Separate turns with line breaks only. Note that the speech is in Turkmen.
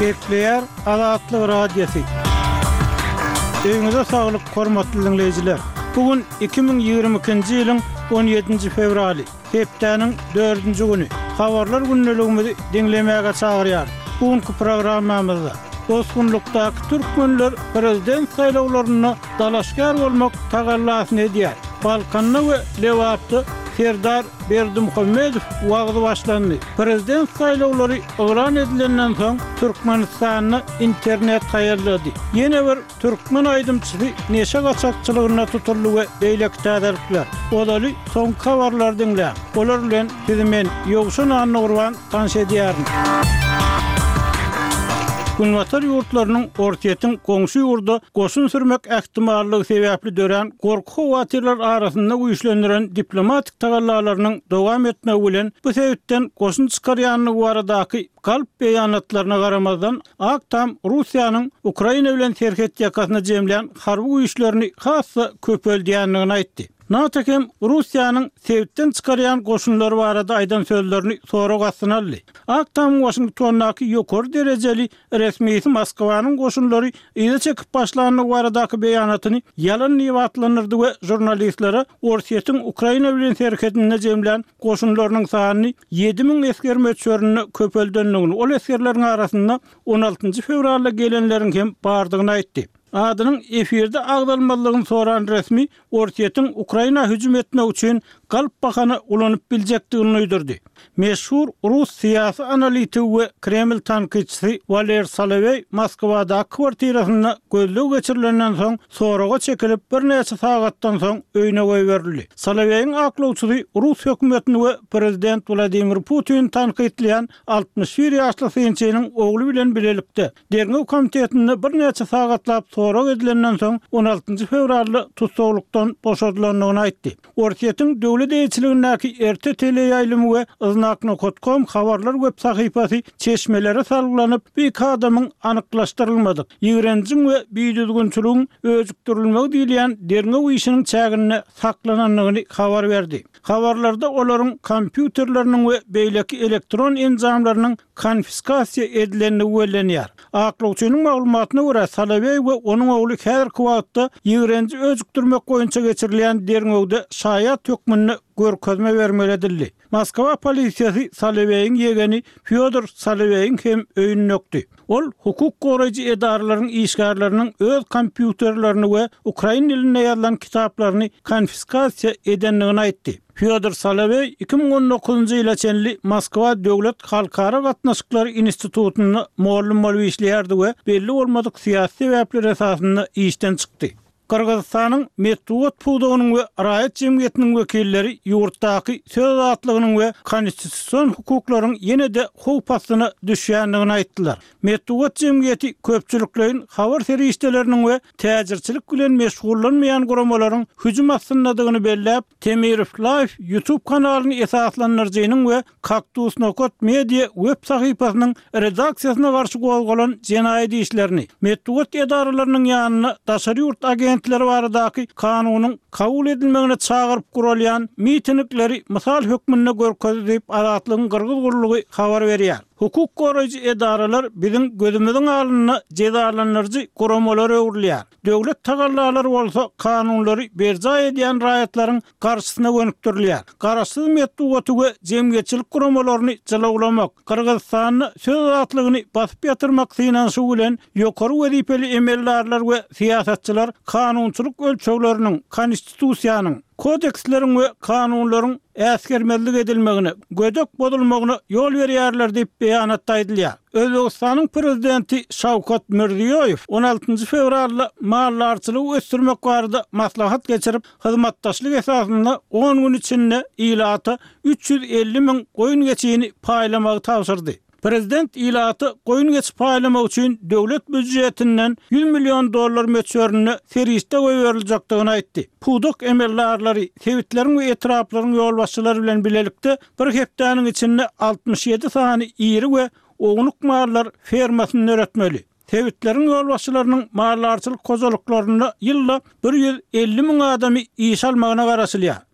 Gepleýär Azatlyk Radiosy. Öýüňize saglyk, hormatly diňleýjiler! Bu gün 2022-nji ýylyň on ýedinji fewraly, hepdäniň dördünji güni. Habarlar gündeligimizi diňlemäge çagyrýarys. Bu günki programmamyzda bosgunlykdaky türkmenler prezident saýlawlarynda dalaşgär bolmak tagallasyny edýär. Balkanda we Lebapda Serdar Berdimuhamedow wagzy başlandy. Prezident saýlawlary yglan edilenden soň Türkmenistanda internet haýallady. Ýene bir türkmen aýdymçysy neşe gaçakçylygynda tutuldy we beýleki täzelikler. Ozaly soňky habarlary diňläň. Olar bilen sizi men, Ýowşan Annagurban tanyş edýärin. Günbatar ýurtlarynyň Orsýetiň goňşy ýurda goşun sürmek ähtimallygy sebäpli dörän gorky-howatyrlar arasynda güýçlendiren diplomatik tagallalarynyň dowam etmegi bilen bu sebitden goşun çykarýandygy baradaky galp beýanatlaryna garamazdan, Ak Tam Russiýanyň Ukraina bilen serhet ýakasyna jemlän harby güýçlerini has-da köpeldýändigini aýtdy. NATO hem Russiýanyň sebitden çykarýan goşunlary barada aýdan sözlerini sorag astyna aldy. Ak Tamyň Waşingtondaky ýokary derejeli resmisi Moskwanyň goşunlary yza çekip başlandygy baradaky beýanatyny ýalan diýip atlandyrdy we žurnalistlere Orsýetiň Ukraina bilen serhedinde jemlän goşunlarynyň sanyny 7000 esger möçberinde köpeldendigini, ol esgerleriň arasynda on altynjy fewralda gelenleriň hem bardygyny aýtdy. Adynyň efirde agzalmazlygyny soran resmi Orsýetiň Ukraina hüjüm etmek üçin galp bahana ulanyp biljekdigini duýdurdy. Meşhur rus syýasy analitigi we Kreml tankytçysy Waler Soloweý Moskwadaky kwartirasynda gözleg geçirilenden soň soraga çekilip, birnäçe sagatdan soň öýüne goýberildi. Soloweýiň aklawçysy rus hökümetini we prezident Wladimir Putini tankytlaýan 61 ýaşly synçynyň ogly bilen bilelikde Derňew komitetinde birnäçe sagatlap sorag edilenden soň, on altynjy fewralda tussaglykdan boşadylandygyny aýtdy. Orsýetiň döwlet eýeçiligindäki RT teleýaýlymy we Znak nokat kom habarlar web sahypasy çeşmelere salgylanyp, bu iki adamyň anyklaşdyrylmadyk, ýigrenjiň we bidüzgünçiligiň öjükdirilmegi diýilýän derňew işiniň çäginde saklanandygyny habar berdi. Habarlarda olaryň kompýuterleriniň we beýleki elektron enjamlarynyň konfiskasiýa edilendigi bellenýär. Aklawçynyň maglumatyna görä, Soloweý we onuň ogly häzirki wagtda ýigrenji öjükdirmek boýunça geçirilýän derňewde şaýat hökmünde görkezme bermeli edildi. Moskwa polisiýasy Soloweýiň ýegeni Fýodor Soloweýiň hem öýüni dökdi. Ol hukuk goraýjy edaralaryň işgärleriniň öz kompýuterlerini we ukrain dilinde ýazylan kitaplaryny konfiskasiýa edendigini aýtdy. Fýodor Soloweý 2019-njy ýyla çenli Moskwa döwlet halkara gatnaşyklary institutynda mugallym bolup işleýärdi we belli bolmadyk syýasy sebäpler esasynda işden çykdy. Gyrgyzystanyň metbugat pudagynyň we raýat jemgyýetiniň wekilleri ýurtdaky söz azatlygynyň we konstitusion hukuklaryň ýene-de howp astyna düşýändigini aýtdylar. Metbugat jemgyýeti köpçülikleýin habar serişdeleriniň we täjirçilik bilen meşgullanmaýan guramalaryň hüjüm astyndadygyny belläp, Temirow Live YouTube kanalyny esaslandyryjynyň we Kaktus Nokat Media web sahypasynyň redaksiýasyna garşy gozgalan jenaýat işlerini, metbugat edaralarynyň ýanynda daşary ýurt agentleri baradaky kanunyň kabul edilmegine çagyryp guralýan mitingleri mysal hökmünde görkezdi diýip, Azatlygyň Gyrgyz gullugy habar berýär. Hukuk goraýjy edaralar biziň gözümiziň alnynda jezalandyryjy guramalara öwrülýär. Döwlet tagallalary bolsa kanunlary berjaý edýän raýatlaryň garşysyna gönükdirilýär. Garaşsyz metbugaty we jemgyýetçilik guramalaryny jylawlamak, Gyrgyzystanda söz azatlygyny basyp ýatyrmak synanyşygy bilen ýokary wezipeli emeldarlar we syýasatçylar kanunçylyk ölçegleriniň, konstitusiýanyň, kodeksleriň we kanunlaryň äsgermezlik edilmegine, gödek bozulmagyna ýol berýärler diýip, beýanatda aýdylýar. Özbegistanyň Prezidenti Şawkat Mirziýoýew on altynjy fewralda maldarçylygy ösdürmek barada maslahat geçirip, hyzmatdaşlyk esasynda on gün içinde ilata 350 müň goýun-geçini paýlamagy tabşyrdy. Prezident ilata goýun-geçi paýlamak üçin döwlet býujetinden 100 million dollar möçberinde serişde goýberiljekdigini aýtdy. Pudak emeldarlary, sebitleriň we etraplaryň ýolbaşçylary bilen bilelikde bir hepdäniň içinde 67 sany iri we ownuk mallar fermasyny döretmeli. Sebitleriň ýolbaşçylarynyň maldarçylyk hojalyklarynda ýylda 150 müň adamy işe almagyna garaşylýar.